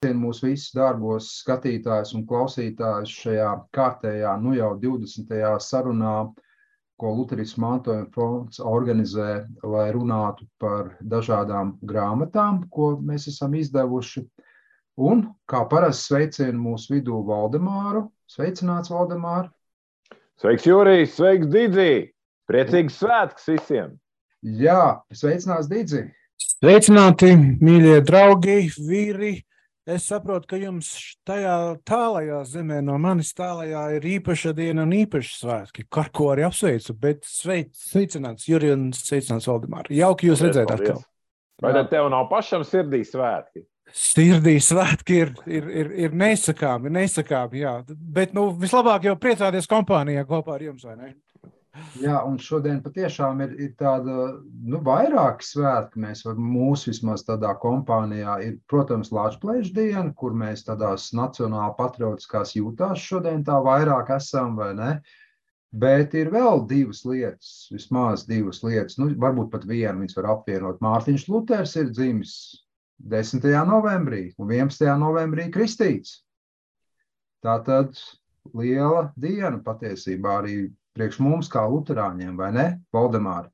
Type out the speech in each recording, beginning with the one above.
Mūsu visus dārgos skatītājus un klausītājus šajā kārtējā, jau 20. sarunā, ko Luterismu mantojuma fonds organizē, lai runātu par dažādām grāmatām, ko mēs esam izdevuši. Un, kā parasti, sveicienu mūsu vidū Valdemāru. Sveicināts, Valdemār! Sveiks, Jurijs! Sveiks, Didzi! Priecīgs svētks visiem! Jā, sveicināts, Didzi! Sveicināti, mīļie draugi, vīri! Es saprotu, ka jums tajā tālajā zemē no manis tālajā ir īpaša diena un īpaši svētki, ar ko arī apsveicu, bet sveicināts Juri un sveicināts Valdemār. Jauki jūs redzēt atkal. Vai tad tev nav pašam sirdī svētki? Sirdī svētki ir neizsakāmi, jā. Bet vislabāk jau priecāties kompānijā kopā ar jums, vai ne? Jā, un šodien patiešām ir tāda, vairāki svētki. Mūsu vismaz tādā kompānijā ir, protams, Latvijas diena, kur mēs tādās nacionāli patriotiskās jūtās šodien tā vairāk esam, vai ne? Bet ir vēl divas lietas, vismaz divas lietas, varbūt pat vienu viņas var apvienot. Mārtiņš Luters ir dzimis 10. novembrī un 11. novembrī kristīts. Tātad liela diena patiesībā arī priekš mums kā luterāņiem, vai ne, Valdemār?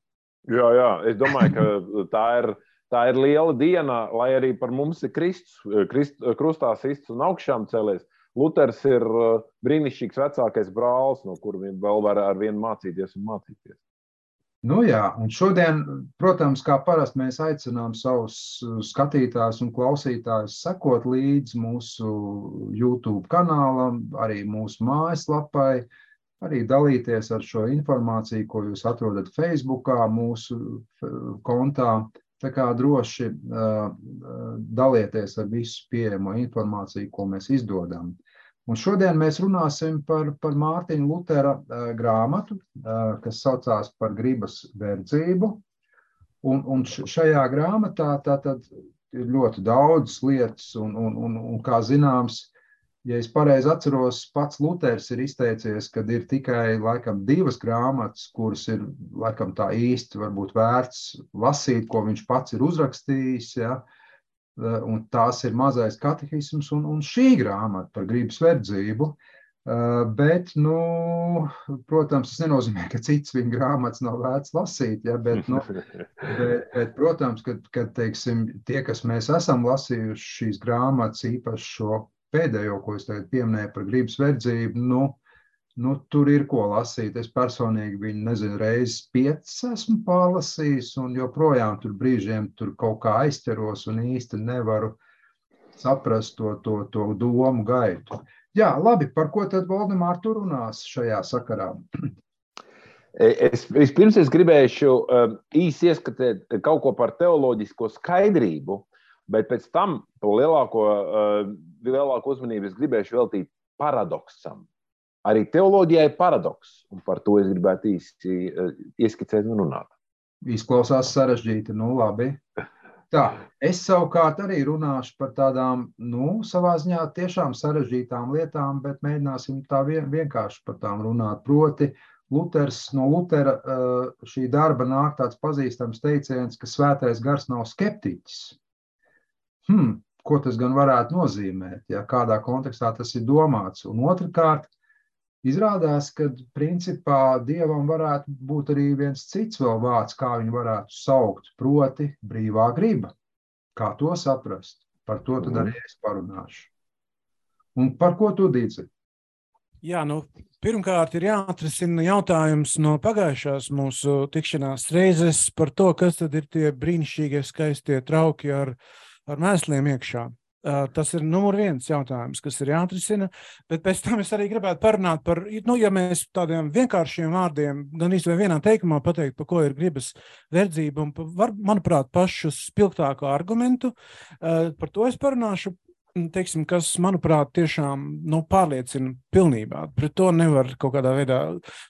Jā, es domāju, ka tā ir liela diena, lai arī par mums ir Kristus, krustā sists un augšām cēlies. Luters ir brīnišķīgs vecākais brālis, no kura vēl var ar vienu mācīties un mācīties. Jā, un šodien, protams, kā parasti mēs aicinām savus skatītājus un klausītājus sekot līdzi mūsu YouTube kanālam, arī mūsu mājaslapai, arī dalīties ar šo informāciju, ko jūs atrodat Facebookā, mūsu kontā. Tā kā droši dalieties ar visu pieejamo informāciju, ko mēs izdodam. Un šodien mēs runāsim par Mārtiņa Lutera grāmatu, kas saucās par gribas verdzību. Un šajā grāmatā tātad ir ļoti daudz lietas, un kā zināms, ja es pareizi atceros, pats Luters ir izteicies, kad ir tikai, laikam, divas grāmatas, kuras ir, laikam, tā īsti varbūt vērts lasīt, ko viņš pats ir uzrakstījis, ja? Un tās ir mazais katehisms un šī grāmata par gribas verdzību. Bet, protams, tas nenozīmē, ka cits viņa grāmatas nav vērts lasīt, ja? Bet, protams, kad teiksim, tie, kas mēs esam lasījuši šīs grāmatas, īpaši šo pēdējo, ko es tagad pieminēju par gribas verdzību, tur ir ko lasīt. Es personīgi viņu, nezinu, reizes 5 esmu pārlasījis, un joprojām tur brīžiem tur kaut kā aizķeros un īsti nevaru saprast to domu gaitu. Jā, labi, par ko tad Valdemār tu runās šajā sakarā? Vispirms es gribēšu īsi ieskatīt kaut ko par teoloģisko skaidrību, bet pēc tam lielāko uzmanību es gribēšu veltīt paradoksam. Arī teoloģijā ir paradoks, un par to es gribētu īsti ieskicēt un runāt. Izklausās sarežģīti, labi. Tā, es savukārt arī runāšu par tādām, savā ziņā tiešām sarežģītām lietām, bet mēģināsim tā vienkārši par tām runāt. Proti, no Lutera šī darba nāk tāds pazīstams teiciens, ka svētais gars nav skeptiķis. Ko tas gan varētu nozīmēt, ja kādā kontekstā tas ir domāts? Un otrkārt, izrādās, ka principā Dievam varētu būt arī viens cits vēl vārds, kā viņu varētu saukt, proti brīvā griba. Kā to saprast? Par to tad arī es parunāšu. Un par ko tu, Dīci? Jā, pirmkārt ir jāatrisina jautājums no pagājušās mūsu tikšanās reizes par to, kas tad ir tie brīnišķīgie skaistie trauki ar mēsliem iekšā. Tas ir numur 1 jautājums, kas ir jāatrisina, bet pēc tam es arī gribētu parunāt par, ja mēs tādiem vienkāršiem vārdiem, gan īsti vienā teikumā pateikt, par ko ir gribas verdzība, un manuprāt, pašu spilgtāko argumentu, par to es parunāšu, teiksim, kas, manuprāt, tiešām pārliecina pilnībā. Pret to nevar kaut kādā veidā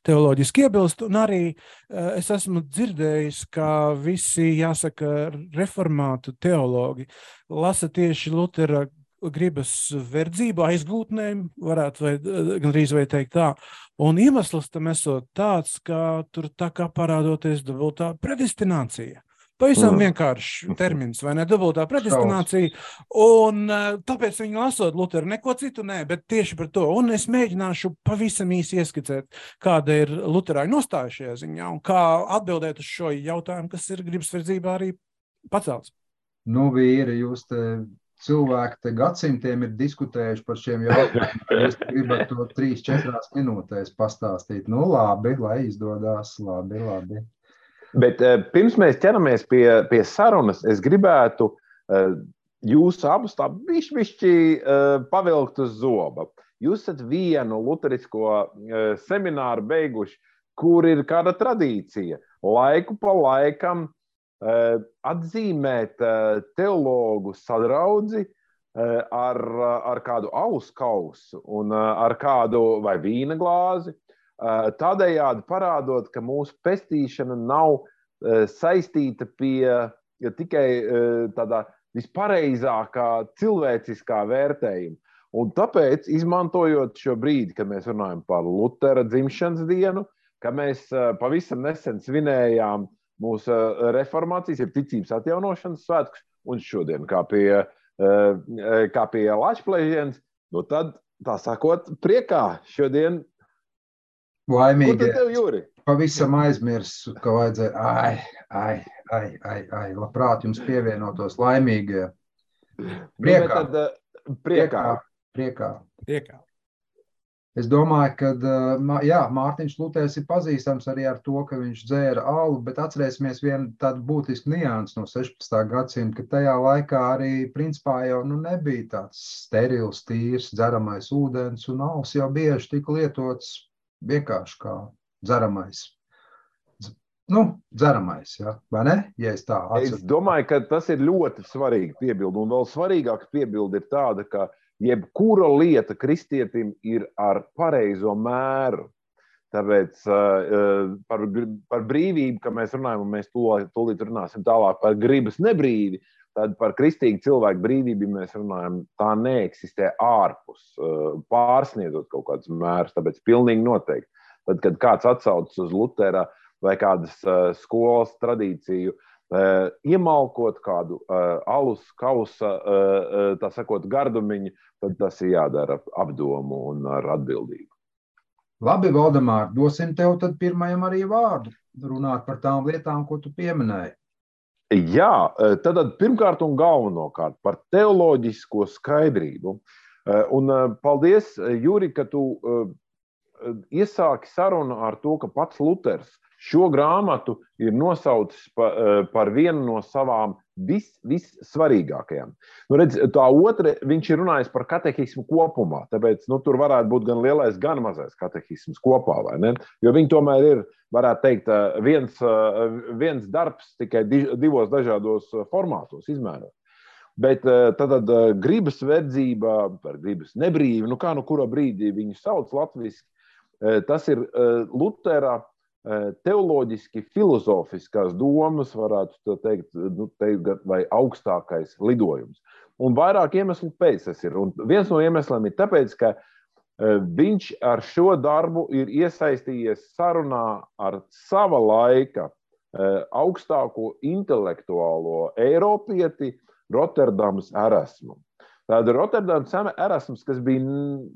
teoloģiski iebilst, un arī es esmu dzirdējis, ka visi, jāsaka, reformātu teologi lasa tieši Lutera gribas verdzību aizgūtnēm, varētu gandrīz vai teikt tā, un iemesls tam esot tāds, ka tur tā kā parādoties dubultā predestinācija. Pavisam vienkārši termins, vai ne, dubultā predestinācija, un tāpēc viņi lasot Luteru neko citu nē, bet tieši par to. Un es mēģināšu pavisam īsi ieskicēt, kāda ir Luterāņu nostāja šajā ziņā un kā atbildēt uz šo jautājumu, kas ir gribasverdzībā arī pacelts. Nu, vīri, jūs te cilvēki te gadsimtiem ir diskutējuši par šiem jautājumiem. Jūs gribat to 3-4 minūtēs pastāstīt. Nu, labi, lai izdodās. Labi. Bet pirms mēs ķeramies pie sarunas, es gribētu jūs abus tā bišķi pavilkt uz zoba. Jūs esat vienu luterisko semināru beiguši, kur ir kāda tradīcija. Laiku pa laikam atzīmēt teologu sadraudzi ar kādu alus kausu un ar kādu vai vīna glāzi, tādējādi parādot, ka mūsu pestīšana nav saistīta pie tikai tādā vispareizākā cilvēciskā vērtējuma. Un tāpēc, izmantojot šo brīdi, kad mēs runājam par Lutera dzimšanas dienu, ka mēs pavisam nesen svinējām mūsu reformācijas, ir ticības atjaunošanas svētkus, un šodien, kā pie Lačplēžienas, nu tad, tā sakot, priekā šodien. Laimīgi. Kur tad tev, Jūri? Pavisam aizmirsu, ka vajadzēja, labprāt jums pievienotos laimīgie. Priekā. Es domāju, ka Mārtiņš Luters ir pazīstams arī ar to, ka viņš dzēra alu, bet atcerēsimies vienu tādu būtisku niansu no 16. gadsimta, ka tajā laikā arī principā jau nebija tāds sterils, tīrs, dzeramais ūdens, un alus jau bieži tika lietots vienkārši kā dzeramais. Dzeramais, ja? Vai ne? Ja es tā atceros. Es domāju, ka tas ir ļoti svarīgi piebildi, un vēl svarīgāka piebildi ir tāda, ka jebkura lieta kristietim ir ar pareizo mēru. Tāpēc par brīvību, ka mēs runājam, un mēs tūlīt runāsim tālāk par gribas nebrīvi, tad par kristīgu cilvēku brīvību mēs runājam, tā neeksistē ārpus, pārsniedzot kaut kādus mērus, tāpēc pilnīgi noteikti. Tad, kad kāds atsaucas uz Lutera vai kādas skolas tradīciju, iemalkot kādu alus kausa, tā sakot, gardumiņu, tad tas ir jādara apdomu un ar atbildību. Labi, Valdemār, dosim tev tad pirmajam arī vārdu, runāt par tām lietām, ko tu pieminēji. Jā, tad pirmkārt un galvenokārt par teoloģisko skaidrību. Un paldies, Juri, ka tu iesāki sarunu ar to, ka pats Luters šo grāmatu ir nosaucis par vienu no savām vissvarīgākajām. Redz, tā otra, viņš ir runājis par katehismu kopumā, tāpēc tur varētu būt gan lielais, gan mazais katehisms kopā, vai ne? Jo viņi tomēr ir, varētu teikt, viens darbs tikai divos dažādos formātos izmērot. Bet tad gribas verdzība, par gribas nebrīvi, kā kura brīdī viņu sauc latviski, tas ir Lutera teoloģiski filozofiskās domas, varētu teikt, vai augstākais lidojums. Un vairāk iemeslu pēc tas ir. Un viens no iemesliem ir tāpēc, ka viņš ar šo darbu ir iesaistījies sarunā ar sava laika augstāko intelektuālo eiropieti Roterdamas Erasmu. Tāda Roterdamas Erasms, kas bija,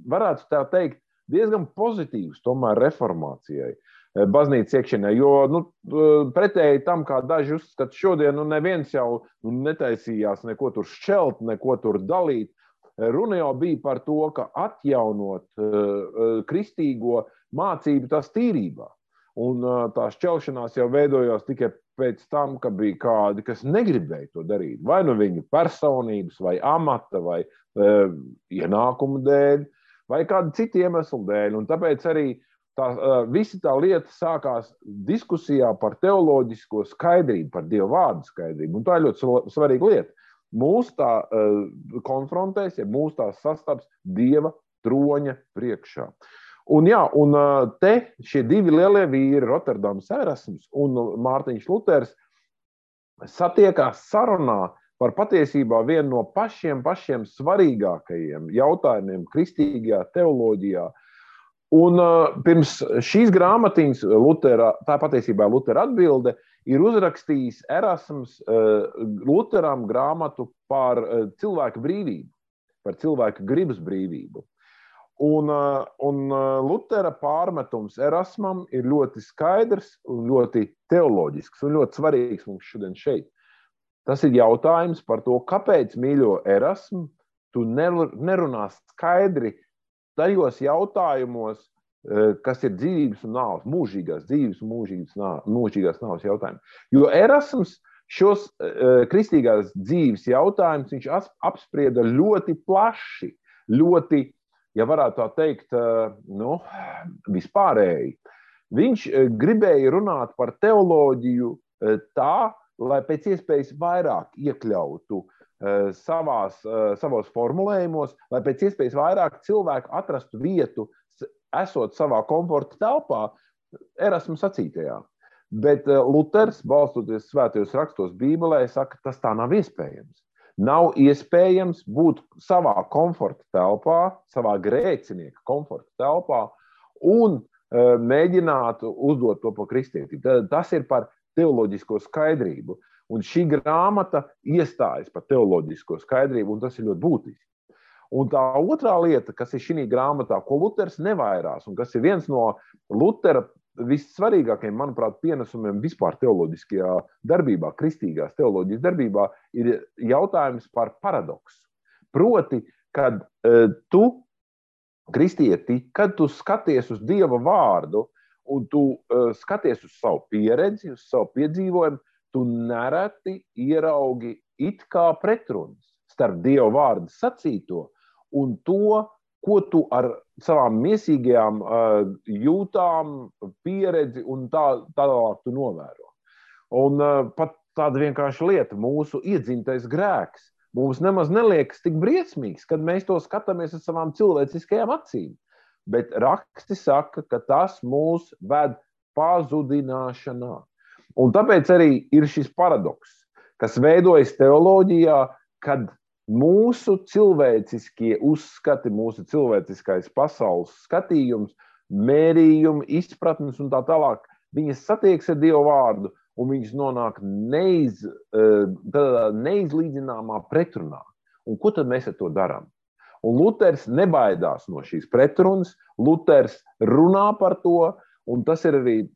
varētu tā teikt, diezgan pozitīvs tomēr reformācijai. Baznīcas iekšienē, jo pretēji tam, kā daži uzskata šodien, neviens jau netaisījās neko tur šķelt, neko tur dalīt. Runa jau bija par to, ka atjaunot kristīgo mācību tās tīrībā. Un tā šķelšanās jau veidojās tikai pēc tam, ka bija kādi, kas negribēja to darīt. Vai viņu personības, vai amata, vai ienākumu dēļ, vai kādu citu iemeslu dēļ. Un tāpēc arī visa tā lieta sākās diskusijā par teoloģisko skaidrību, par Dieva vārdu skaidrību. Un tā ir ļoti svarīga lieta. Mūs tā konfrontēs, ja mūs tā sastaps Dieva troņa priekšā. Un te šie divi lielie vīri, Roterdamas Erasms un Mārtiņš Luters, satiekās sarunā par patiesībā vienu no pašiem svarīgākajiem jautājumiem kristīgajā teoloģijā. Un pirms šīs grāmatiņas tā patiesībā Lutera atbilde ir uzrakstījis Erasms Luteram grāmatu par cilvēku brīvību, par cilvēku gribas brīvību. Un Lutera pārmetums Erasmam ir ļoti skaidrs un ļoti teoloģisks un ļoti svarīgs mums šodien šeit. Tas ir jautājums par to, kāpēc, mīļo Erasmu, tu nerunā skaidri tajos jautājumos, kas ir dzīvības un nāves, mūžīgās dzīvības un mūžīgās nāves jautājumi. Jo Erasms šos kristīgās dzīves jautājumus viņš apsprieda ļoti plaši, ļoti, ja varētu tā teikt, vispārēji. Viņš gribēja runāt par teoloģiju tā, lai pēc iespējas vairāk iekļautu savos formulējumos, lai pēc iespējas vairāk cilvēku atrastu vietu, esot savā komforta telpā, Erasmu sacītajā. Bet Luters, balstoties svētajos rakstos Bībelē, saka, tas tā nav iespējams. Nav iespējams būt savā komforta telpā, savā grēcinieka komforta telpā un mēģināt uzdot to par kristietību. Tas ir par teoloģisko skaidrību. Un šī grāmata iestājas par teoloģisko skaidrību, un tas ir ļoti būtiski. Un tā otrā lieta, kas ir šī grāmatā, ko Luters nevairās, un kas ir viens no Lutera vissvarīgākajiem, manuprāt, pienesumiem vispār teoloģiskajā darbībā, kristīgās teoloģijas darbībā, ir jautājums par paradoksu. Proti, kad tu, kristieti, kad tu skaties uz Dieva vārdu un tu skaties uz savu pieredzi, uz savu piedzīvojumu, tu nereti ieraugi it kā pretrunas starp Dieva vārdu sacīto un to, ko tu ar savām miesīgajām jūtām, pieredzi un tālāk tu novēro. Un pat tāda vienkārša lieta, mūsu iedzimtais grēks, mums nemaz neliekas tik briesmīgs, kad mēs to skatāmies ar savām cilvēciskajām acīm. Bet raksti saka, ka tas mūs ved pazudināšanā. Un tāpēc arī ir šis paradoks, kas veidojas teoloģijā, kad mūsu cilvēciskie uzskati, mūsu cilvēciskais pasaules skatījums, mērījumi, izpratnes un tā tālāk, viņas satiekas ar Dieva vārdu un viņas nonāk neizlīdzināmā pretrunā. Un ko tad mēs ar to darām? Un Luters nebaidās no šīs pretrunas, Luters runā par to, un tas ir arī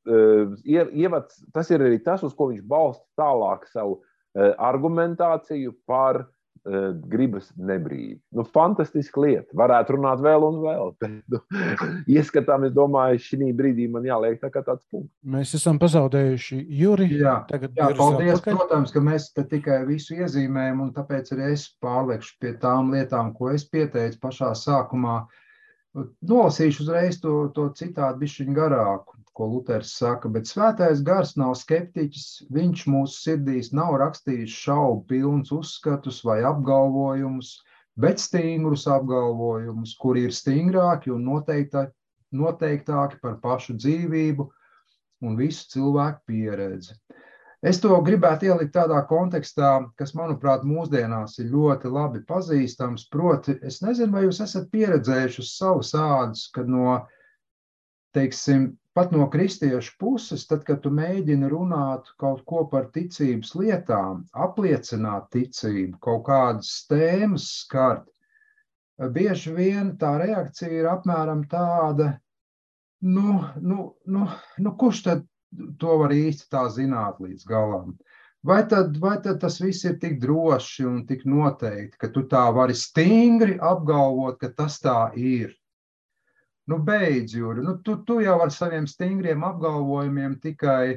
tas, uz ko viņš balsta tālāk savu argumentāciju par gribas nebrīvi. Fantastiska lieta. Varētu runāt vēl un vēl, bet ieskatām, es domāju, šī brīdī man jāliek tā kā tāds punkts. Mēs esam pazaudējuši Juri. Jā, paldies, protams, ka mēs te tikai visu iezīmējam, un tāpēc arī es pārliekšu pie tām lietām, ko es pieteicu pašā sākumā. Nolasīšu uzreiz to citātu bišķiņ garāku, ko Luters saka, bet svētais gars nav skeptiķis, viņš mūsu sirdīs nav rakstījis šaubu pilns uzskatus vai apgalvojumus, bet stingrus apgalvojumus, kuri ir stingrāki un noteiktāki par pašu dzīvību un visu cilvēku pieredzi. Es to gribētu ielikt tādā kontekstā, kas, manuprāt, mūsdienās ir ļoti labi pazīstams, proti, es nezinu, vai jūs esat pieredzējuši uz savas ādas, kad pat no kristiešu puses, tad, kad tu mēģini runāt kaut ko par ticības lietām, apliecināt ticību, kaut kādas tēmas skart, bieži vien tā reakcija ir apmēram tāda, kurš tad to var īsti tā zināt līdz galam? Vai tad tas viss ir tik droši un tik noteikti, ka tu tā vari stingri apgalvot, ka tas tā ir? Beidz, Juri, tu jau ar saviem stingriem apgalvojumiem tikai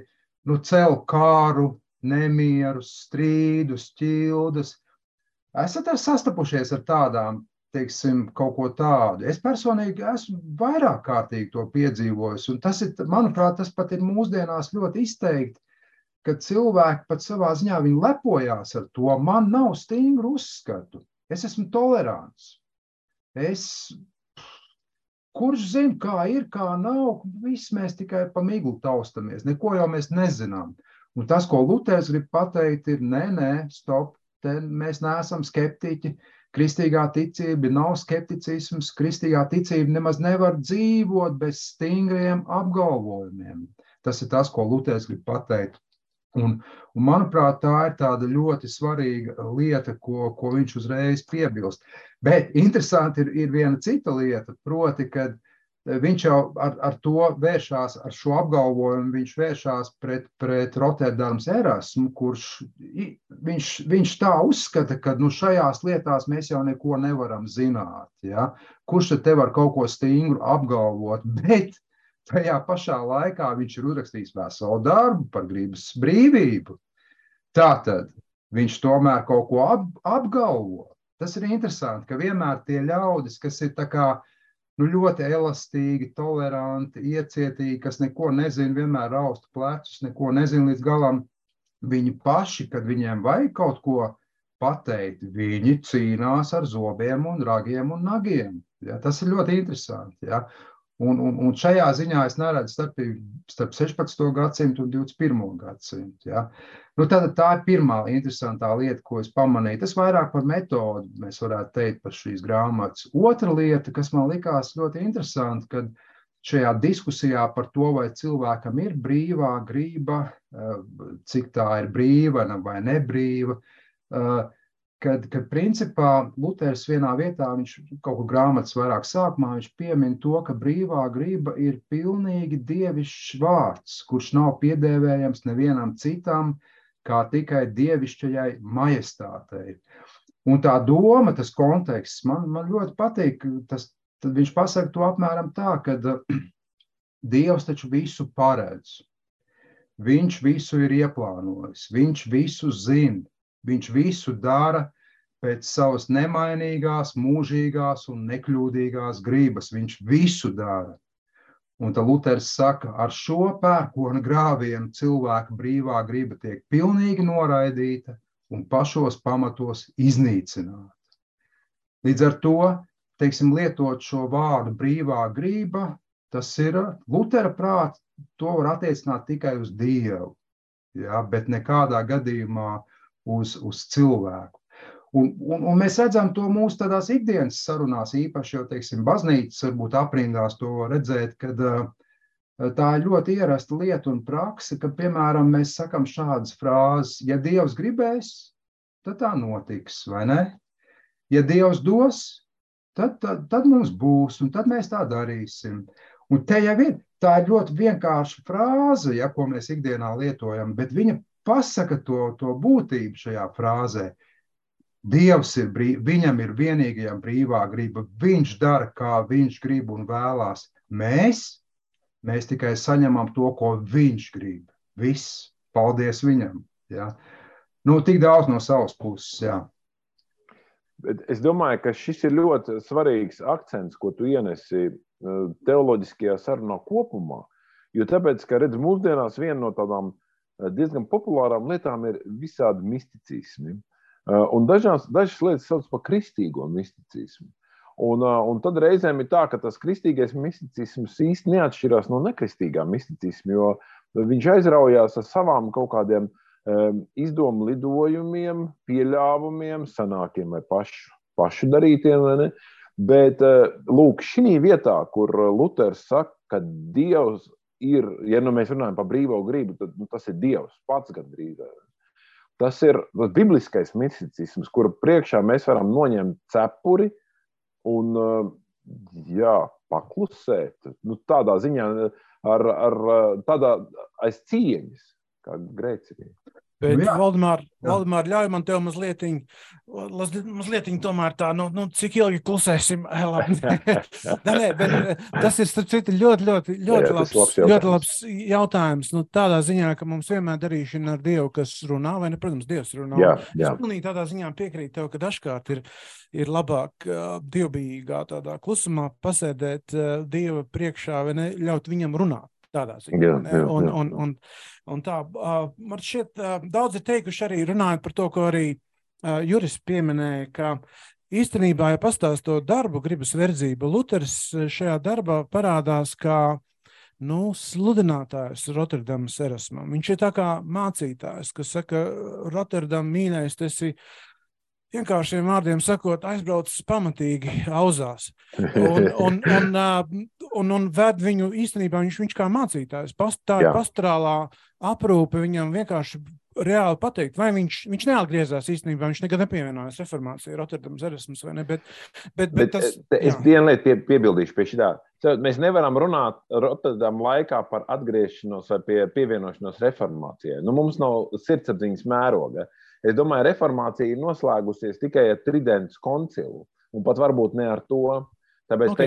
cel kāru, nemierus, strīdus, ķildas. Esat sastapušies ar tādām, teiksim, kaut ko tādu? Es personīgi esmu vairāk kārtīgi to piedzīvojis, un tas ir, manuprāt, tas pat ir mūsdienās ļoti izteikti, ka cilvēki pat savā ziņā viņi lepojās ar to, man nav stingru uzskatu, es esmu tolerants, kurš zina, kā ir, kā nav, viss mēs tikai pa miglu taustamies, neko jau mēs nezinām. Un tas, ko Luters grib pateikt, ir, stop, mēs neesam skeptiķi, kristīgā ticība nav skepticisms, kristīgā ticība nemaz nevar dzīvot bez stingriem apgalvojumiem. Tas ir tas, ko Luters grib pateikt. Un, manuprāt, tā ir tāda ļoti svarīga lieta, ko viņš uzreiz piebilst. Bet interesanti ir viena cita lieta, proti, kad viņš jau ar to vēršās, ar šo apgalvojumu, viņš vēršās pret Rotterdams Erasmu, kurš viņš tā uzskata, ka šajās lietās mēs jau neko nevaram zināt. Ja? Kurš tad te var kaut ko stingru apgalvot, bet tajā pašā laikā viņš ir uzrakstījis veselu darbu par gribas brīvību. Tātad viņš tomēr kaut ko apgalvo. Tas ir interesanti, ka vienmēr tie ļaudis, kas ir tā kā ļoti elastīgi, toleranti, iecietīgi, kas neko nezina, vienmēr rausta plecus, neko nezina līdz galam, viņi paši, kad viņiem vajag kaut ko pateikt, viņi cīnās ar zobiem un ragiem un nagiem. Ja? Tas ir ļoti interesanti. Ja? Un šajā ziņā es neredzu starpību starp 16. gadsimtu un 21. gadsimtu. Ja? Tā ir pirmā interesantā lieta, ko es pamanīju. Tas vairāk par metodu, mēs varētu teikt, par šīs grāmatas. Otra lieta, kas man likās ļoti interesanti, kad šajā diskusijā par to, vai cilvēkam ir brīvā griba, cik tā ir brīva vai nebrīva, kad principā Luters vienā vietā, viņš kaut kur grāmatas vairāk sākumā, viņš piemin to, ka brīvā griba ir pilnīgi dievišķs vārds, kurš nav piedēvējams nevienam citam, kā tikai dievišķajai majestātei. Un tā doma, tas konteksts, man ļoti patīk, tad viņš pasaka to apmēram tā, ka Dievs taču visu paredz. Viņš visu ir ieplānojis, viņš visu zina. Viņš visu dara pēc savas nemainīgās, mūžīgās un nekļūdīgās gribas. Viņš visu dara. Un tad Luters saka, ar šo pērkona grāvienu cilvēka brīvā griba tiek pilnīgi noraidīta un pašos pamatos iznīcināta. Līdz ar to, teiksim, lietot šo vārdu brīvā griba, tas ir Lutera prāt, to var attiecināt tikai uz Dievu, ja, bet nekādā gadījumā uz cilvēku. Un mēs redzam to mūsu tādās ikdienas sarunās, īpaši jau, teiksim, baznīcas varbūt aprindās to redzēt, kad tā ir ļoti ierasta lieta un praksa, ka, piemēram, mēs sakam šādas frāzes, ja Dievs gribēs, tad tā notiks, vai ne? Ja Dievs dos, tad mums būs, un tad mēs tā darīsim. Un te jau ir, tā ir ļoti vienkārša frāze, ja, ko mēs ikdienā lietojam, bet viņa pasaka to būtību šajā frāzē. Dievs ir viņam ir vienīgajam brīvā griba. Viņš dara, kā viņš grib un vēlās. Mēs tikai saņemam to, ko viņš grib. Viss. Paldies viņam. Ja? Tik daudz no savas puses. Ja. Bet es domāju, ka šis ir ļoti svarīgs akcents, ko tu ienesi teoloģiskajā sarunā kopumā. Jo tāpēc, ka redz, mūsdienās viena no tādām diezgan populārām lietām ir visādi misticismi. Un dažas lietas sauc par kristīgo misticismu. Un tad reizēm ir tā, ka tas kristīgais misticisms īsti neatšķirās no nekristīgā misticisma, jo viņš aizraujās ar savām kaut kādiem izdomu lidojumiem, pieļāvumiem, sanākiem vai pašu darītiem, vai ne? Bet, lūk, šī vietā, kur Luters saka, ka Dievs ir, ja mēs runājam par brīvo gribu, tad tas ir Dievs pats gan drīzāk. Tas ir bibliskais misticisms, kura priekšā mēs varam noņemt cepuri un paklusēt. Tādā ziņā tādā aiz cieņas, kā grēcinieki. Bet, Valdemār, ļauj man tev mazliet tomēr tā, cik ilgi klusēsim? Bet tas ir, starp citu, ļoti labs jautājums. Tādā ziņā, ka mums vienmēr darīšana ar Dievu, kas runā, vai ne, protams, Dievs runā. Jā. Es pilnīgi tādā ziņā piekrītu tev, ka dažkārt ir labāk dievbijīgā tādā klusumā pasēdēt Dieva priekšā, vai ne, ļaut viņam runāt. Tādā ziņā. Un tā, man šķiet, daudz ir teikuši arī runājot par to, ko arī Juris pieminēja, ka īstenībā, ja pastāstot darbu gribas verdzību, Luters šajā darbā parādās kā sludinātājs Rotterdamas Erasmam. Viņš ir tā kā mācītājs, kas saka, Rotterdam mīļais, tas ir vienkāršiem vārdiem sakot, aizbraucis pamatīgi auzās. un ved viņu īstenībā viņš kā mācītājs. Tā ir pastorālā aprūpe viņam vienkārši reāli pateikt, vai viņš neatgriezās īstenībā, viņš nekad nepievienojās reformācijai, Rotterdamas erasmus vai ne, bet tas... Es vienu lietu piebildīšu pie šitā. Mēs nevaram runāt Rotterdam laikā par atgriešanos vai pievienošanos reformācijai. Mums nav sirdsapziņas mēroga. Es domāju, reformācija ir noslēgusies tikai ar Tridents koncilu, un pat varbūt ne ar to. Tāpēc,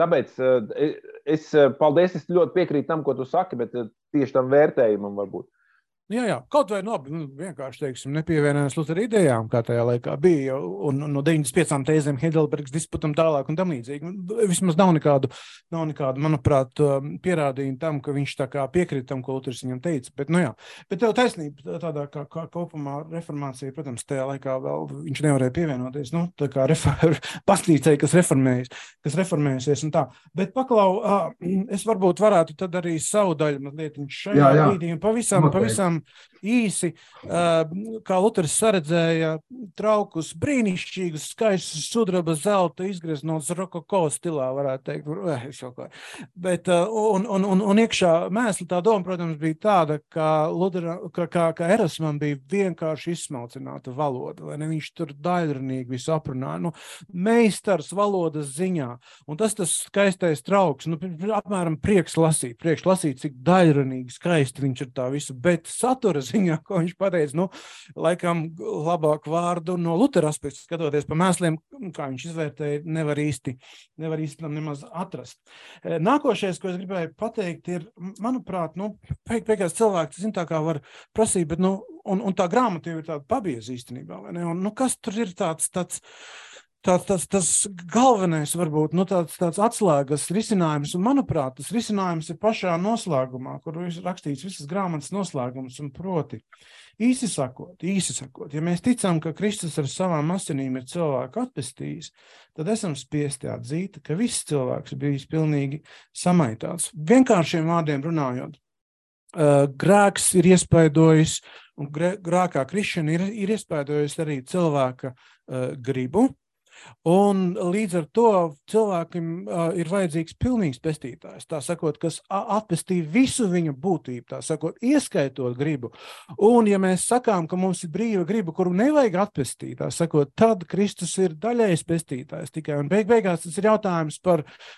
tāpēc paldies, es ļoti piekrītu tam, ko tu saki, bet tieši tam vērtējumam varbūt. Jā, kaut vai vienkārši, teiksim, nepievienojās Lutera idejām, kā tajā laikā bija, un no 95 tēzēm Heidelbergs disputam tālāk un tam līdzīgi. Vismaz nav nekādu, manuprāt, pierādījumu tam, ka viņš tā kā piekrita tam, ko Luters viņam teica. Bet tev taisnība tādā kā kopumā reformācija, protams, tajā laikā vēl viņš nevarēja pievienoties, tā kā baznīcai, kas reformējusies un tā. Bet paklau, es varbūt varētu tad arī savu daļu mazliet šajā brīdī un pavisam īsi, kā Luters saredzēja traukus brīnišķīgus, skaistus sudraba zelta izgreznots rokoko stilā, varētu teikt. Bet, un iekšā mēsli tā doma, protams, bija tāda, ka Erasmam bija vienkārši izsmalcināta valoda, vai ne? Viņš tur daļrunīgi visu aprunāja. Meistars valodas ziņā. Un tas skaistais trauks, apmēram prieks lasīt, cik daļrunīgi skaisti viņš ir tā visu, bet satura ziņā, ko viņš pateica, laikam labāku vārdu no Lutera aspekta, skatoties pa mēsliem, kā viņš izvērtēja, nevar īsti tam nemaz atrast. Nākošais, ko es gribēju pateikt, ir, manuprāt, beigās cilvēki, zin tā kā var prasīt, bet, un tā grāmata jau ir tāda pabieza īstenībā, vai ne? Un, kas tur ir tāds galvenais varbūt, tāds atslēgas risinājums, un manuprāt, tas risinājums ir pašā noslēgumā, kur ir rakstīts visas grāmatas noslēgums, un proti, īsi sakot, ja mēs ticam, ka Kristus ar savām asinīm ir cilvēku atpestījis, tad esam spiesti atzīt, ka viss cilvēks bijis pilnīgi samaitāts. Vienkāršiem vārdiem runājot, grēks ir iespaidojis, un grēkā krišana ir iespaidojis arī cilvēka gribu, un līdz ar to cilvēkiem ir vajadzīgs pilnīgs pestītājs, tā sakot, kas atpestī visu viņa būtību, tā sakot, ieskaitot gribu. Un ja mēs sakām, ka mums ir brīva griba, kuru nevajag atpestīt, tā sakot, tad Kristus ir daļējs pestītājs tikai. Un beigās tas ir jautājums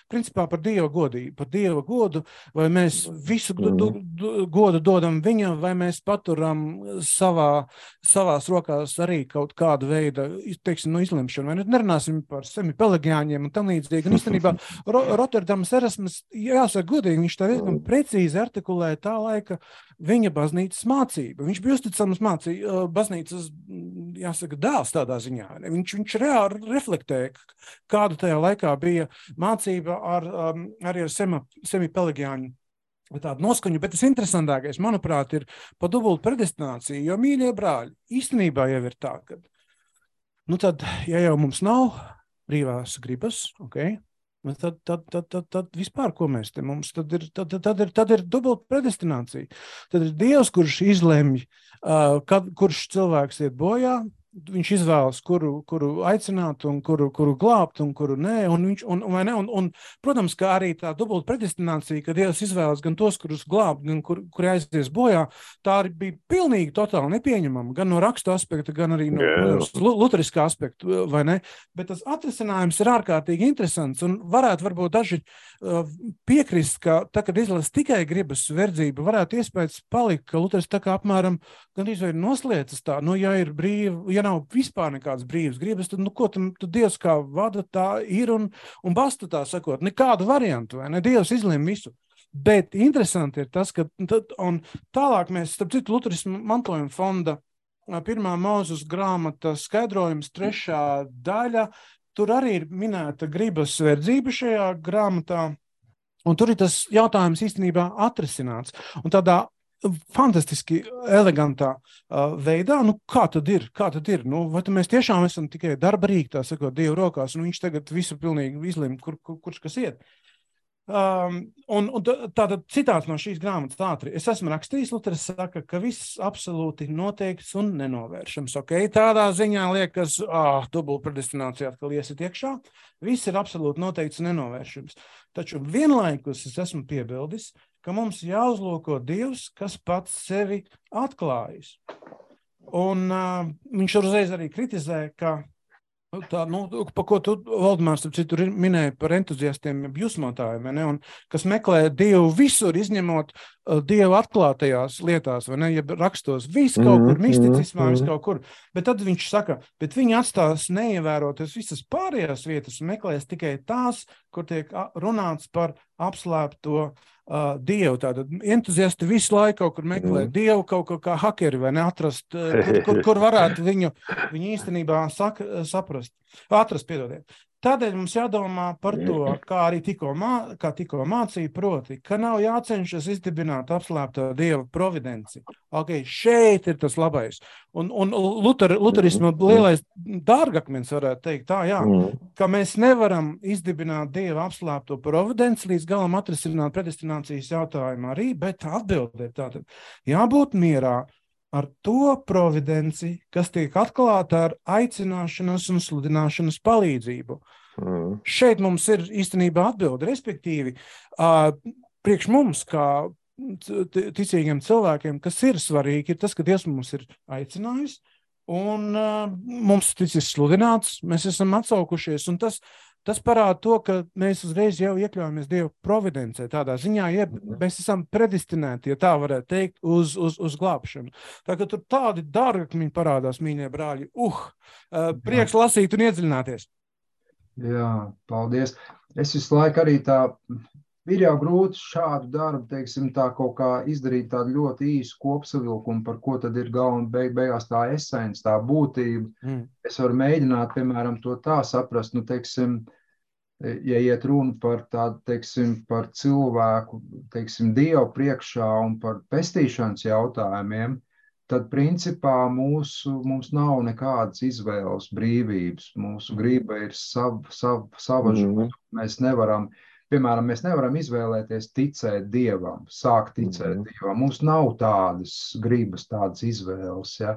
principā par Dieva godību, par Dieva godu, vai mēs visu godu dodam viņam, vai mēs paturam savās rokās arī kaut kādu veidu, teiksim, izlemšanu, vai nerunāsim par semipelagiāņiem un tam līdzīgi. Un īstenībā Rotterdamas erasmus, jāsaka godīgi, viņš tā diezgan precīzi artikulē tā laika viņa baznīcas mācība. Viņš bija uzticams baznīcas, jāsaka, dēls tādā ziņā. Viņš reāli reflektēja, kāda tajā laikā bija mācība arī ar semipelagiāņu tādu noskaņu, bet tas interesantākais, manuprāt, ir pa dubultu predestināciju, jo, mīļie brāļi, īstenībā jau ir tā, ka tad, ja jau mums nav brīvās gribas, tad vispār, ko mēs te mums, tad ir dubulta predestinācija. Tad ir Dievs, kurš izlemj, kurš cilvēks iet bojā, viņš izvēlas, kuru aicināt un kuru glābt un kuru nē, un protams, ka arī tā dubulta predestinācija, ka Dievs izvēlas gan tos, kurus glābt, gan kuri aizies bojā, tā arī bija pilnīgi totāli nepieņemama, gan no rakstu aspekta, gan arī no luteriskā aspekta, vai ne? Bet tas atrisinājums ir ārkārtīgi interesants, un varbūt daži piekrist, ka tā, kad izlas tikai gribas verdzību, varētu iespējas palikt, ka Luters tā kā apmēram gan izvēr nosliecas tā, ja ir brīva, ja nav vispār nekādas brīvas gribas, tad, ko tad Dievs kā vada, tā ir un basta tā sakot, nekādu variantu, vai ne? Dievs izlēma visu. Bet interesanti ir tas, ka, un tālāk mēs, starp citu, Luterismu mantojuma fonda 1. Mūzes grāmata skaidrojums 3. daļa, tur arī ir minēta gribas verdzība šajā grāmatā, un tur ir tas jautājums īstenībā atrisināts. Un tādā fantastiski elegantā veidā, kā tad ir? Vai mēs tiešām esam tikai darba rīki, tā sakot, Dievu rokās, un viņš tagad visu pilnīgi izlēma, kurš kas iet. Un tātad citāts no šīs grāmatas ātri. Es esmu rakstījis, Luteris saka, ka viss absolūti noteikts un nenovēršams. Okay? Tādā ziņā liekas, dubultpredestinācijā atkal iesit iekšā. Viss ir absolūti noteikts un nenovēršams. Taču vienlaikus es esmu piebildis, ka mums jāuzlūko Dievs, kas pats sevi atklājis. Un viņš uzreiz arī kritizē, ka tā, pa ko tu, Valdemārs, tur minēja par entuziastiem, jusmotājiem, ne? Un kas meklē Dievu visur, izņemot Dievu atklātajās lietās, vai ne, ja rakstos, viss kaut kur, misticismā, viss kaut kur. Bet tad viņš saka, bet viņi atstās neievēroties visas pārējās vietas un meklēs tikai tās, kur tiek runāts par apslēpto Dievu. Tātad entuziasti visu laiku kaut kur meklē Dievu, kaut kā hakeri, vai ne, atrast, kur varētu viņu īstenībā atrast, piedodiet. Tādēļ mums jādomā par to, kā arī tikko mācīja, proti, ka nav jācenšas izdibināt apslēpto Dieva providenci. Okay, šeit ir tas labais. Un luterisma lielais dārgakmens varētu teikt tā, jā, ka mēs nevaram izdibināt Dieva apslēpto providenci līdz galam atrisināt predestinācijas jautājumu arī, bet atbildēt tātad. Jābūt mierā ar to providenci, kas tiek atklāta ar aicināšanas un sludināšanas palīdzību. Šeit mums ir īstenībā atbilde, respektīvi, priekš mums, kā ticīgiem cilvēkiem, kas ir svarīgi, ir tas, ka Dievs mums ir aicinājis, un mums ticis sludināts, mēs esam atsaukušies, un tas parāda to, ka mēs uzreiz jau iekļaujamies Dieva providencē. Tādā ziņā, mēs esam predestinēti, ja tā varētu teikt, uz glābšanu. Tā kā tur tādi dārgakmiņi parādās, mīļie brāļi. Prieks lasīt un iedziļināties. Jā, paldies. Es visu laiku arī ir jau grūti šādu darbu, teiksim, tā kaut kā izdarīt tādu ļoti īsu kopsavilkumu, par ko tad ir galva beigās tā esence, tā būtība. Es varu mēģināt, piemēram, to tā saprast, teiksim, ja iet runa par tādu, teiksim, par cilvēku, teiksim, Dievu priekšā un par pestīšanas jautājumiem, tad principā mums nav nekādas izvēles brīvības. Mūsu griba ir sava žūta. Mēs nevaram izvēlēties ticēt Dievam, sākt ticēt Dievam. Mums nav tādas gribas, tādas izvēles, ja?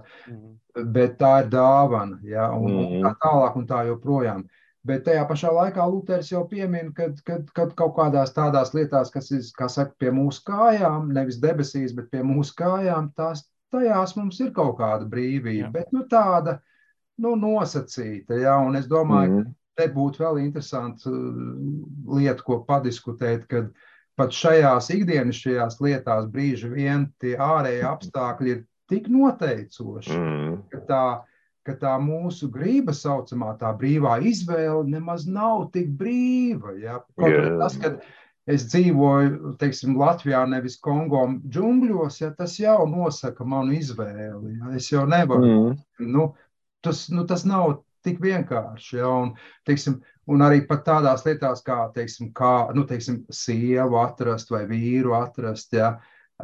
Bet tā ir dāvana, ja? Un tā tālāk un tā joprojām. Bet tajā pašā laikā Luteris jau piemin, kad kaut kādās tādās lietās, kas ir, kā saka, pie mūsu kājām, nevis debesīs, bet pie mūsu kājām, tajās mums ir kaut kāda brīvība, bet tāda nosacīta, ja? Un es domāju, te būtu vēl interesanti lieta, ko padiskutēt, kad pat šajās ikdienišķajās lietās brīži vien tie ārēji apstākļi ir tik noteicoši, ka tā mūsu grība saucamā, tā brīvā izvēle nemaz nav tik brīva. Ja? Tas, kad es dzīvoju, teiksim, Latvijā, nevis Kongo džungļos, ja, tas jau nosaka manu izvēli. Ja? Es jau nevaru. Tas nav tik vienkārši, ja, un, teiksim, un arī pat tādās lietās, kā, teiksim, sievu atrast vai vīru atrast, ja,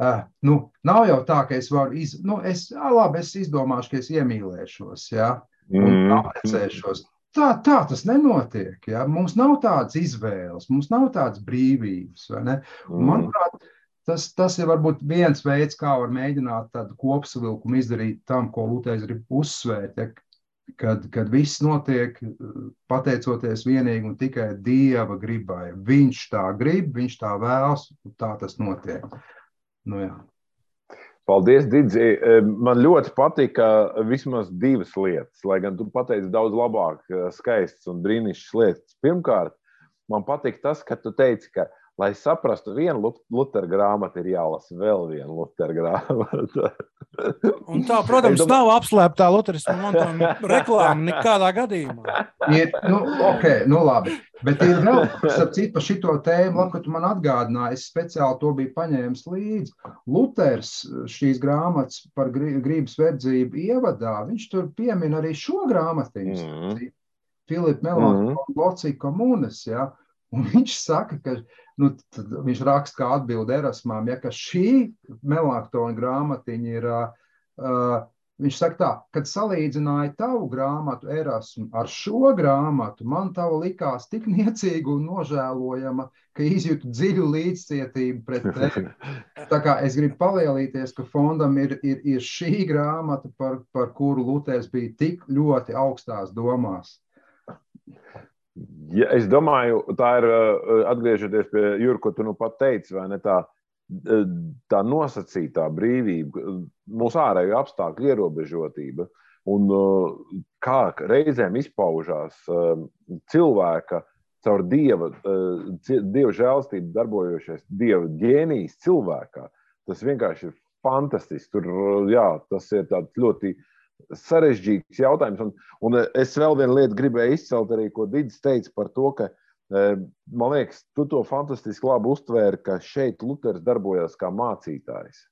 nav jau tā, ka es varu, es izdomāšu, ka es iemīlēšos, ja, un apprecēšos. Tā tas nenotiek, ja, mums nav tādas izvēles, mums nav tādas brīvības, vai ne? Un, manuprāt, tas ir varbūt viens veids, kā var mēģināt tādu kopsavilkumu izdarīt tam, ko Luteris grib uzsvērt, ja, kad viss notiek pateicoties vienīgi un tikai Dieva gribai. Viņš tā grib, viņš tā vēlas, un tā tas notiek. Jā. Paldies, Didzi. Man ļoti patika vismaz divas lietas, lai gan tu pateici daudz labāk, skaistas un brīnišķas lietas. Pirmkārt, man patika tas, ka tu teici, ka, lai saprastu vienu Lutera grāmatu, ir jālasa vēl viena Lutera grāmata. Un tā, protams, nav apslēptā luterisma mantojuma reklāma nekādā gadījumā. Labi. Bet ir vēl, starp citu, par šito tēmu, labi, ka tu man atgādināji, es speciāli to biju paņēmis līdzi. Luters šīs grāmatas par grības verdzību ievadā, viņš tur piemin arī šo grāmatiņu, Filipa Melanchthona Loci Communes, ja, un viņš saka, ka, viņš raksta kā atbildi Erasmām, ja, ka šī Melanchthona grāmatiņa ir viņš saka tā, kad salīdzināja tavu grāmatu Erasmu ar šo grāmatu, man tava likās tik niecīga un nožēlojama, ka izjūtu dziļu līdzcietību pret tevi. Tā kā es gribu palielīties, ka fondam ir šī grāmata, par kuru Luters bija tik ļoti augstās domās. Ja, es domāju, tā ir, atgriežoties pie Jura, ko tu nu pat teici, vai ne, tā nosacītā brīvība, mūsu ārējo apstākļu ierobežotība un kā reizēm izpaužās cilvēka caur Dieva žēlastību darbojošais Dieva ģēnijs cilvēkā. Tas vienkārši ir fantastiski. Tur, jā, tas ir tāds ļoti sarežģīts jautājums. Un es vēl vienu lietu gribēju izcelt arī, ko Didis teica par to, ka man liekas, tu to fantastiski labi uztvēri, ka šeit Luters darbojās kā mācītājs.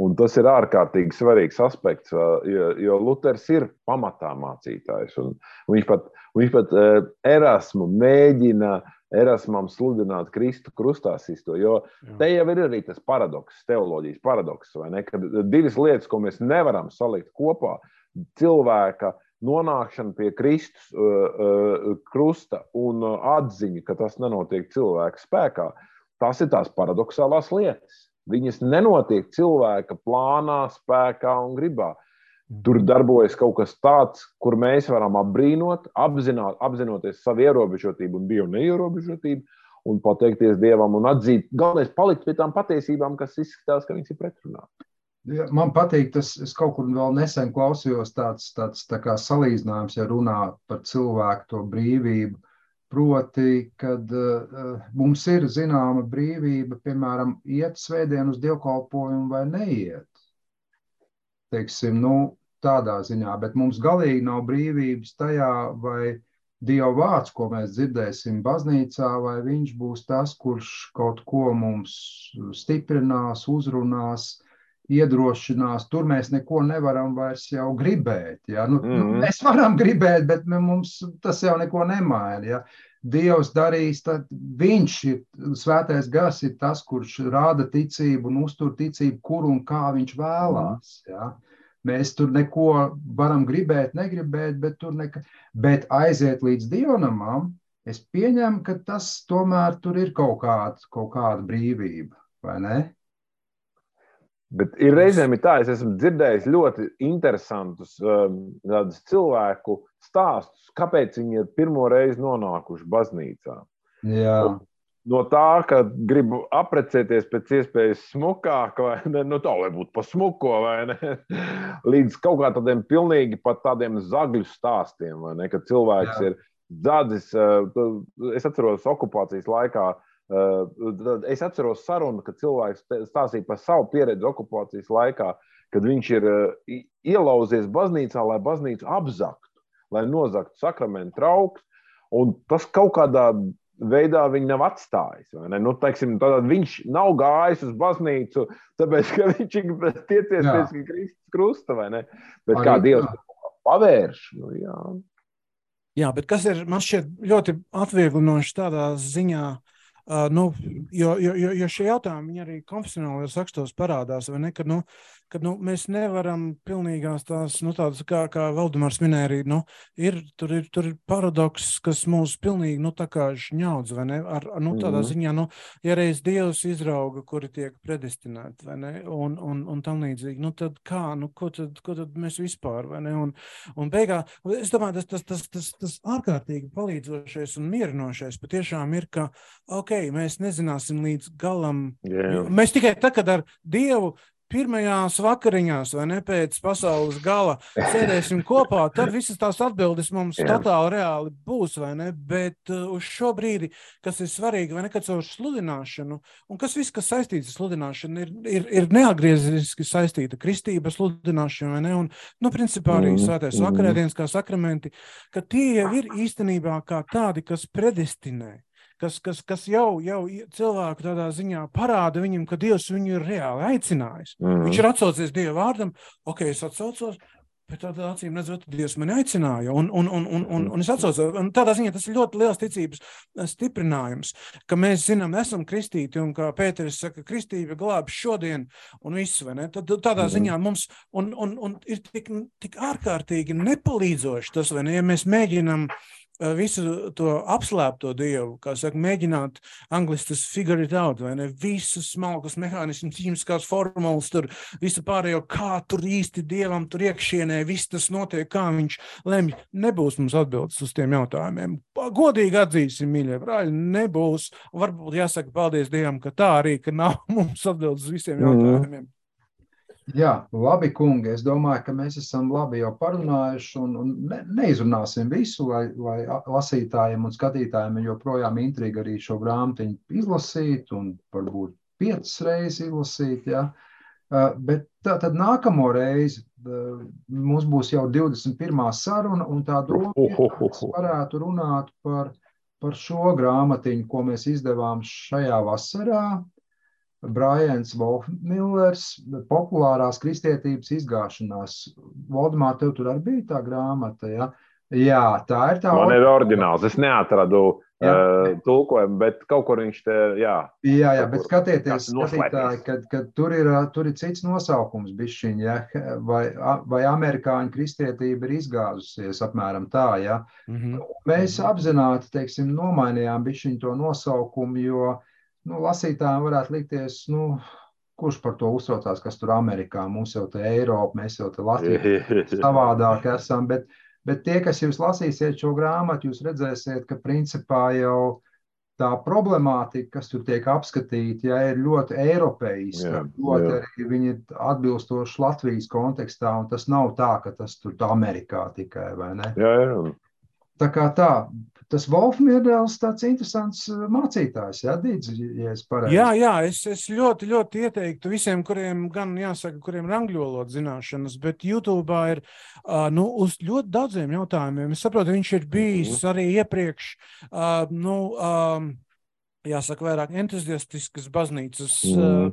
Un tas ir ārkārtīgi svarīgs aspekts, jo Luters ir pamatā mācītājs. Un viņš pat Erasmu mēģina Erasmam sludināt Kristu krustā sisto, jo te jau ir arī tas paradoks, teoloģijas paradoks, vai ne? Kad divas lietas, ko mēs nevaram salikt kopā, cilvēka nonākšana pie Kristus krusta un atziņa, ka tas nenotiek cilvēka spēkā, tas ir tās paradoxālās lietas. Viņas nenotiek cilvēka plānā, spēkā un gribā. Tur darbojas kaut kas tāds, kur mēs varam apbrīnot, apzinoties savu ierobežotību un Dievu neierobežotību un pateikties Dievam un atzīt, galvenais palikt pie tām patiesībām, kas izskatās, ka viņas ir pretrunā. Ja, man patīk, es kaut kur vēl nesen klausījos tāds tā kā salīdzinājums, ja runā par cilvēku to brīvību, proti, kad mums ir zināma brīvība, piemēram, iet svētdien uz dievkalpojumu vai neiet. Teiksim, tādā ziņā, bet mums galīgi nav brīvības tajā, vai Dieva vārds, ko mēs dzirdēsim baznīcā, vai viņš būs tas, kurš kaut ko mums stiprinās, uzrunās, iedrošinās, tur mēs neko nevaram vairs jau gribēt. Ja? Mēs varam gribēt, bet mums tas jau neko nemaina. Ja? Dievs darīs, tad viņš ir, svētais gars ir tas, kurš rāda ticību un uztur ticību, kur un kā viņš vēlās. Ja? Mēs tur neko varam gribēt, negribēt, bet aiziet līdz dievnamam, es pieņemu, ka tas tomēr tur ir kaut kāda brīvība, vai ne? Bet ir reizēm tā, es esmu dzirdējis ļoti interesantus cilvēku stāstus, kāpēc viņi ir pirmo reizi nonākuši baznīcā. Jā. No tā, ka gribu aprecēties pēc iespējas smukāk, vai ne, tā, lai būtu pa smuko, vai ne, līdz kaut kā tādiem pilnīgi pat tādiem zagļu stāstiem, vai ne, ka cilvēks ir dzadzis, es atceros okupācijas laikā, es atceros sarunu, kad cilvēks stāstīja par savu pieredzi okupācijas laikā, kad viņš ir ielauzies baznīcā, lai baznīcu apzaktu, lai nozaktu sakramentu trauks, un tas kaut kādā veidā viņu nav atstājis. Vai ne? Teiksim, viņš nav gājis uz baznīcu, tāpēc, ka viņš ir tiecies pēc Kristus krusta, vai ne? Bet kā Dievs pavērš? Jā. Jā, bet kas ir, man šķiet ļoti atvieglinoši tādā ziņā, jo šie jautājumi viņi arī konfesionālajos rakstos parādās, vai ne, kad mēs nevaram pilnīgās tās, tādas, kā Valdemārs minēja arī, tur ir paradoks, kas mūs pilnīgi, tā kā žņaudz, vai ne, tādā ziņā, ja reiz Dievs izrauga, kuri tiek predestinēti, vai ne, un tam līdzīgi, tad kā, ko tad mēs vispār, vai ne, un beigā, es domāju, tas ārkārtīgi palīdzošais un mierinošais patiešām ir, ka, mēs nezināsim līdz galam. Yeah. Mēs tikai tad, kad ar Dievu pirmajās vakariņās, vai ne, pēc pasaules gala sēdēsim kopā, tad visas tās atbildes mums totāli reāli būs, vai ne, bet uz šo brīdi, kas ir svarīgi, vai ne, kad caur sludināšanu, un kas viss, kas saistīts ar sludināšanu, ir neatgriezeniski saistīta kristība sludināšana, vai ne, un, principā arī svētais vakarēdienas kā sakramenti, ka tie jau ir īstenībā kā tādi, kas predestinē. Kas jau cilvēku tādā ziņā parāda viņam, ka Dievs viņu ir reāli aicinājis. Viņš ir atsaucies Dieva vārdam, es atsaucos, Bet tādā acīm redzot, Dievs mani aicināja. Un es atceros, un tādā ziņā tas ir ļoti liels ticības stiprinājums, ka mēs zinām, esam kristīti, un kā Pēteris saka, kristība glābj šodien un viss, vai ne? Tad tādā ziņā mums un ir tik ārkārtīgi nepalīdzoši tas, vai ne? Ja mēs mēģinam visu to apslēpto Dievu, kā saka, mēģināt angliski tas figure it out, vai ne? Visus smalkus mehānismus, ķīmiskās formulas, tur visu pārējo, kā tur īsti Dievam tur iekšienē, viss tas notiek, kā viņš lemj. Nebūs mums atbildes uz tiem jautājumiem. Godīgi atzīsim, mīļie brāļi, nebūs. Varbūt jāsaka paldies Dievam, ka tā arī, ka nav mums atbildes uz visiem jautājumiem. Jā, labi, kungi. Es domāju, ka mēs esam labi jau parunājuši un neizrunāsim visu, lai lasītājiem un skatītājiem joprojām intriga arī šo grāmatiņu izlasīt un varbūt 5 reizes izlasīt. Ja? Bet tad nākamo reizi mums būs jau 21. saruna un tā doma, ka mēs varētu runāt par šo grāmatiņu, ko mēs izdevām šajā vasarā. Brians Wolfmillers, populārās kristietības izgāšanās. Valdemār, tev tur arī bija tā grāmata, ja? Jā, tā ir tā. Man ir oriģināls, es neatradu tulkojumu, bet kaut kur viņš te, jā. Jā, bet skatieties, skatītāji, kad tur ir cits nosaukums bišķiņ, ja? Vai amerikāņu kristietība ir izgāzusies, apmēram tā, ja? Mēs apzināti, teiksim, nomainījām bišķiņ to nosaukumu, jo lasītājiem varētu likties, kurš par to uztraucās, kas tur Amerikā, mums jau te Eiropa, mēs jau te Latvijā savādāk esam, bet tie, kas jūs lasīsiet šo grāmatu, jūs redzēsiet, ka principā jau tā problemātika, kas tur tiek apskatīta, ir ļoti eiropeiska, ļoti arī viņi ir atbilstoši Latvijas kontekstā, un tas nav tā, ka tas tur Amerikā tikai, vai ne? Jā. Tā kā tā, tas Wolfmillers tāds interesants mācītājs, Dīdz, ja es pareizi. Jā, es ļoti, ļoti ieteiktu visiem, kuriem gan jāsaka, kuriem ir angļu valodas zināšanas, bet YouTube'ā ir uz ļoti daudziem jautājumiem. Es saprotu, viņš ir bijis arī iepriekš, jāsaka, vairāk entuziastiskas baznīcas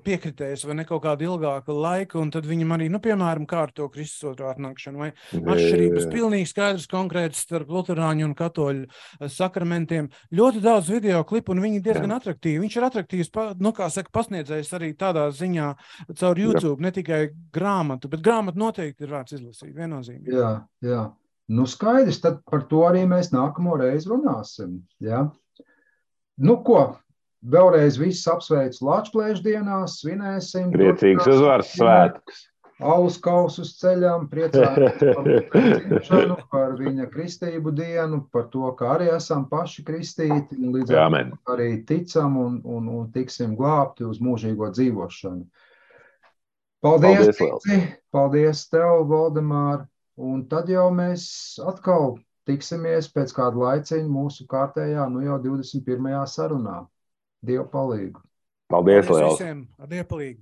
piekritējis vai ne kaut kādu ilgāku laiku, un tad viņam arī, piemēram, kā ar to Kristus otro atnākšanu, vai atšķirības pilnīgi skaidrs konkrēts starp luterāņu un katoļu sakramentiem. Ļoti daudz video klipu, un viņi diezgan atraktīvi. Viņš ir atraktīvs, kā saka, pasniedzējs arī tādā ziņā caur YouTube, ne tikai grāmatu, bet grāmatu noteikti ir vērts izlasīt, viennozīmīgi. Jā. Skaidrs, tad par to arī mēs nākamo reizi runāsim, jā. Ko, vēlreiz visus apsveicu Lačplēšu dienās, svinēsim. Priecīgs uzvaras svētkus. Alus kausus ceļam, priecājamies par viņa kristību dienu, par to, ka arī esam paši kristīti, un līdz ar to arī ticam un tiksim glābti uz mūžīgo dzīvošanu. Paldies, paldies tev, Valdemār, un tad jau mēs atkal tiksimies pēc kāda laiciņa mūsu kārtējā, jau 21. sarunā. Dievu palīgu. Paldies liels. Visiem, ar Dievu palīgu.